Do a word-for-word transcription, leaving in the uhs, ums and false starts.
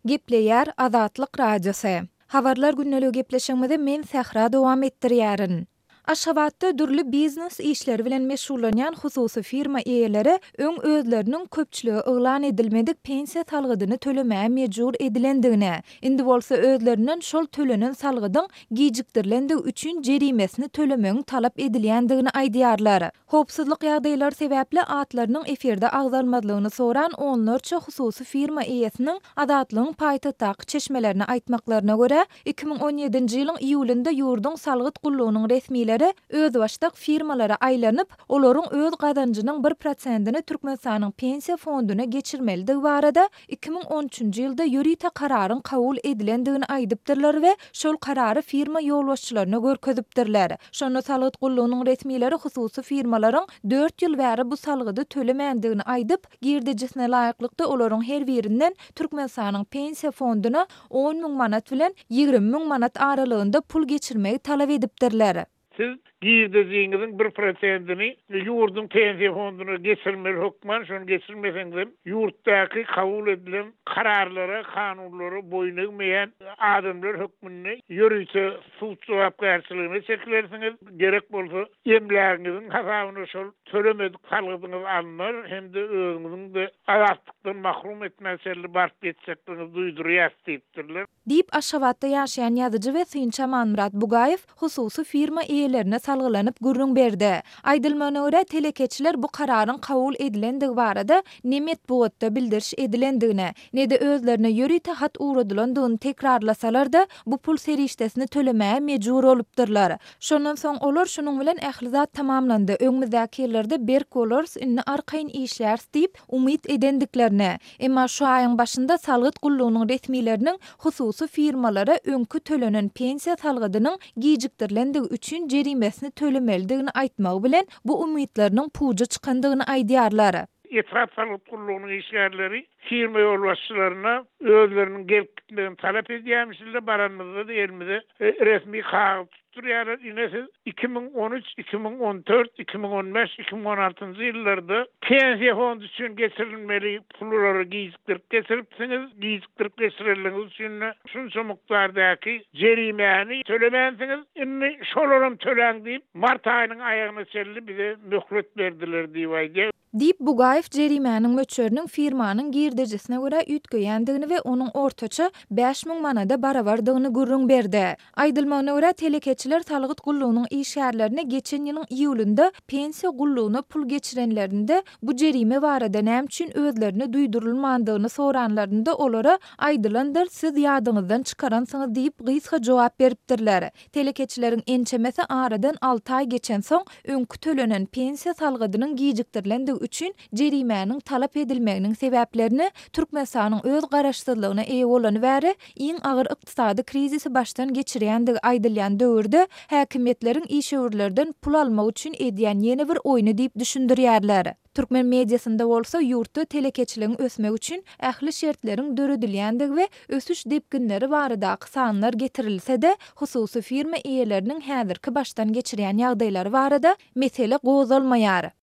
Gepleýär Azatlyk Radiosy. Habarlar gündeligi gepleşigimizi men Sähra dowam etdirýärin. Aşgabatda dürli biznes işleri bilen meşgullanýan hususy firma eýeleri öň özleriniň köpçülige yglan edilmedik pensiýa salgydyny tölemäge mejbur edilendigini, indi bolsa özlerinden şol tölenen salgydyň gijikdirilendigi üçin jerimesini tölemegiň talap edilýändigini aýdýarlar. Howpsuzlyk ýagdaýlary sebäpli atlarynyň efirde agzalmazlygyny soran onlarça hususy firma eýesiniň Azatlygyň paýtagtdaky çeşmelerine aýtmaklaryna görä, iki müň on ýedinji ýylyň iýulynda ýurduň salgyt gullugynyň resmileri özbaşdak firmalara aýlanyp, olaryň öz gazanjynyň bir prosentini Türkmenistanyň Pensiýa fonduna geçirmelidigi barada iki müň on üçünji ýylda ýörite kararyň kabul edilendigini aýdypdyrlar we şol karary firma ýolbaşçylaryna görkezipdirler. Şonda salgyt gullugynyň resmileri hususy firmalaryň dört ýyl bäri bu salgydy tölemändigini aýdyp, girdejisine laýyklykda olaryň her birinden Türkmenistanyň Pensiýa fonduna on müň manat bilen ýigrimi müň manat aralygynda pul geçirmegi talap edipdirler. Siz girdejiňiziň bir prosentini ýurduň pensiýa fonduna geçirmeli hökman, şony geçirmeseňizem ýurtdaky kabul edilen kararlara, kanunlara boýun egmeýän adamlar hökmünde ýörite sud jogapkärçiligine çekilersiňiz. Gerek bolsa emlägiňiziň hasabyna şol tölemedik salgydyňyz alnar hem-de özüňiziň-de azatlykdan mahrum etmäge çenli baryp ýetjekdigiňizi duýdurýas diýipdirler. Diýip, Aşgabatda ýaşaýan ýazyjy we synçy Amanmyrat Bugaýew hususy firma eýelerine salgylanyp gürrüň berdi. Aýdylmagyna görä, telekeçiler bu kararyň kabul edilendigi barada ne metbugatda bildiriş edilendigini, ne-de özlerine ýörite hat ugradylandygyny tekrarlasalar-da, bu pul serişdesini tölemäge mejbur bolupdyrlar. Şondan soň olar şunuň bilen ähli zat tamamlandy, öňümizdäki ýyllarda berk bolarys, indi arkaýyn işläris diýip, umyt edendiklerini, emma şu aýyň başynda salgyt gullugynyň resmileriniň hususy firmalara öňki tölenen pensiýa salgydynyň gijikdirilendigi üçin jerimesini tölemelidigini aýtmagy bilen bu umytlarynyň puja çykandygyny aýdýarlar. Etrap salgyt gullugynyň işgärleri firma ýolbaşçylaryna özleriniň gelip gitmegini talap edýärmişler, baranymyzda-da elimize resmi kagyz tutdurýarlar. Ine siz iki müň on üç, iki müň on dört, iki müň on bäş, iki müň on altynjy ýyllarda pensiýa fondy üçin geçirilmeli pullary gijikdirip geçiripsiňiz, gijikdirip geçirenligiňiz üçin şunça mukdardaky jerimäni tölemänsiňiz, indi şolaram töläň diýip, mart aýynyň aýagyna çenli bize möhlet berdiler diýip aýdýar. Diýip, Bugaýew jerimäniň möçberiniň firmanyň girdejisine görä üýtgeýändigini we onuň ortaça bäş müň manada barabardygyny gürrüň berdi. Aýdylmagyna görä, telekeçiler salgyt gullugynyň işgärlerine geçen ýylyň iýulynda pensiýa gullugyna pul geçirenlerinde bu jerime barada näme üçin özlerine duýdurylmandygyny soranlarynda olara aýdylandyr, siz ýadyňyzdan çykaransyňyz diýip gysga jogap beripdirler. Telekeçileriň ençemesi aradan alty aý geçensoň öňki tölenen pensiýa salgydynyň gijikdirilendigi üçin jerimäniň talap edilmeginiň sebäplerini Türkmenistanyň öz garaşsyzlygyna eýe bolany bäri iň agyr ykdysady krizisi başdan geçirýändigi aýdylýan döwürde häkimiýetleriň işewürlerden pul almak üçin edýän ýene bir oýny diýip düşündirýärler. Türkmen mediasynda bolsa ýurtda telekeçiligiň ösmegi üçin ähli şertleriň döredilýändigi we ösüş depginleri baradaky sanlar getirilse-de, hususy firma eýeleriniň häzirki başdan geçirýän ýagdaýlary barada mesele gozgalmaýar.